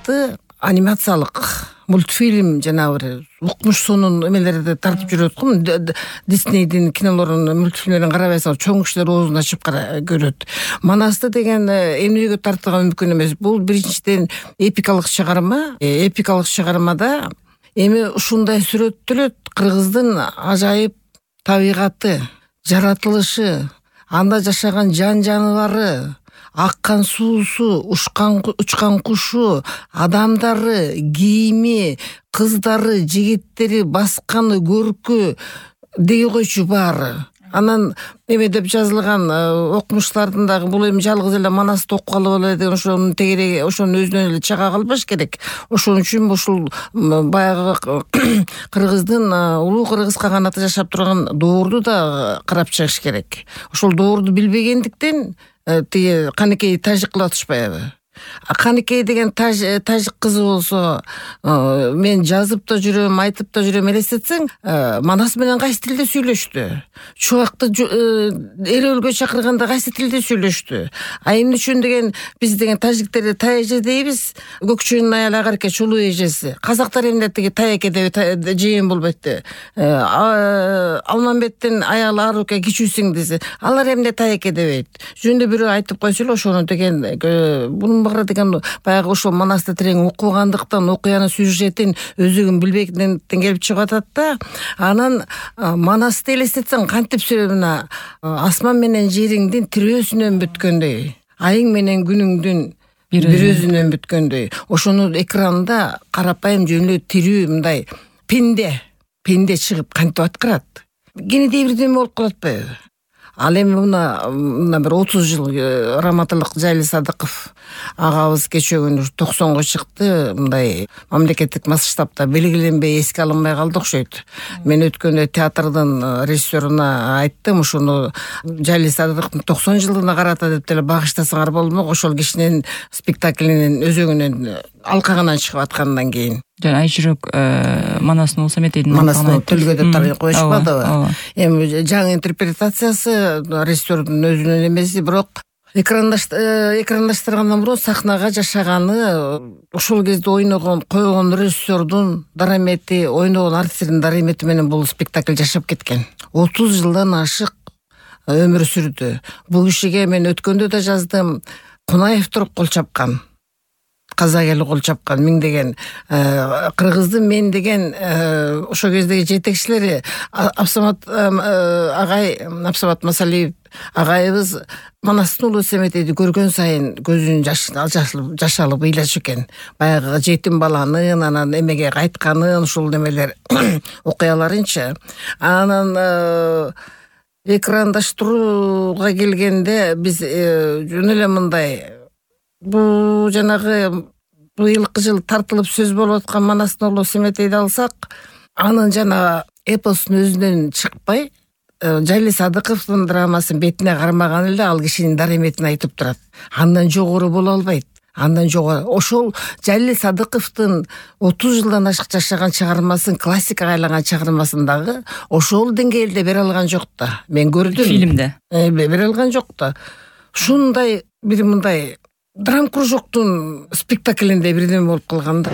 сыяктуу анимациялык мультфильм жана бир укмуш сонун эмелерди тартып жүрөт го. Диснейдин кинолорун, мультфильмдерин карабайсаң, чоң кишилер оозун ачып көрөт. Манасты деген эмнеге тартууга мүмкүн эмес. Бул биринчиден эпикалык чыгарма. Эпикалык чыгармада эми ушундай сүрөттөлөт кыргыздын ажайып табигаты, жаратылышы, анда жашаган жан-жаныбары, аккан суусу, учкан кушу, адамдары, кийими, кыздары, жигиттери, басканы, көркү деги койчу баары. Анан эме деп жазылган окумуштардын дагы бул эми жалгыз эле Манасты окугалы болот деген ошонун тегереги, ошонун өзүнөн эле чыга калбаш керек. Ошон үчүн ушул баягы кыргыздын улуу кыргыз каганаты жашап турган доорду да карап чыгыш керек. Ошол доорду билбегендиктен тиги Каныкей тажик кылып атышпайбы? Каныкей деген тажик кызы болсо, мен жазып да жүрөм, айтып да жүрөм, элестетсең, Манас менен кайсы тилде сүйлөштү? Чубакты эл өлгө чакырганда кайсы тилде сүйлөштү? Эмне үчүн деген биз деген тажиктерди тай эже дейбиз, көкчөнүн аялы агарке чулуу эжеси. Казактар эмне тиги тай эке деп жыйын болбойт. Алмамбеттин аялы Аруке кичүү сиңдиси. Алар эмне тай эке дебейт. Жөнүндө бирөө айтып койсо эле ошону деген бунун баары деген баягы ошол Манасты терең окугандыктан, окуянын сюжетин өзүгүн билбегенден келип чыгып атат да. Анан Манасты элестетсең, кантип мына асман менен жериңдин тирөөсүнөн бүткөндөй, айың менен күнүңдүн бир өзүнөн бүткөндөй. Ошону экранда карапайым жөн эле тирүү мындай пенде чыгып кантип аткарат. Кенедей бирдеме болуп калат атпайбы? Ал эми мына бир 30 жыл раматылык Жайли Садыков агабыз кечөгүнү 90го чыкты. Мындай мамлекеттик масштабта белгиленбей эске алынбай калды окшойт. Мен өткөндө театрдын режиссеруна айттым, ушуну Жайли Садыковдун 90 жылдыгына карата деп деле багыштасаңар болмок. Ошол кишинин спектаклинин өзөгүнөн алкагынан чыгып аткандан кийин. Жана Айжүрөк Манастын улуу Саметейдин Манастын төлгөдө коюшпадыбы? Эми жаңы интерпретациясы режиссердун өзүнүн эмеси, бирок экрандаштыргандан мурун сахнага жашаганы, ошол кезде койгон режиссердун дарамети, ойногон артистердин дарамети менен бул спектакль жашап кеткен. 30 жылдан ашык өмүр сүрдү. Бул кишиге мен өткөндө да жаздым, Кунаев туруп кол чапкан. Казак эли кол чапкан, миңдеген кыргыздын мен деген ошол кездеги жетекчилери Абсамат Масалиев агайыбыз Манастын улуу Саметейди көргөн сайын көзүнүн жашалып ыйлачу экен. Баягы жетим баланын анан эмеге кайтканын, ушул немелер окуяларынчы. Анан экрандаштырууга келгенде биз жөн эле мындай, бул жанагы быйылкы жыл тартылып сөз болуп аткан Манастын улуу Саметейди алсак, анын жана эпостун өзүнөн чыкпай, Жайли Садыковдун драмасын бетине кармаган эле ал кишинин дараметин айтып турат. Андан жогору боло албайт. Андан жогору. Ошол Жайли Садыковдун 30 жылдан ашык жашаган чыгармасын, классикага айланган чыгармасын дагы ошол деңгээлде бере алган жок да. Мен көрдүм. Фильмде. Бере алган жок да. Ушундай бир мындай драм кружоктун спектаклинде бирдеме болуп калган да.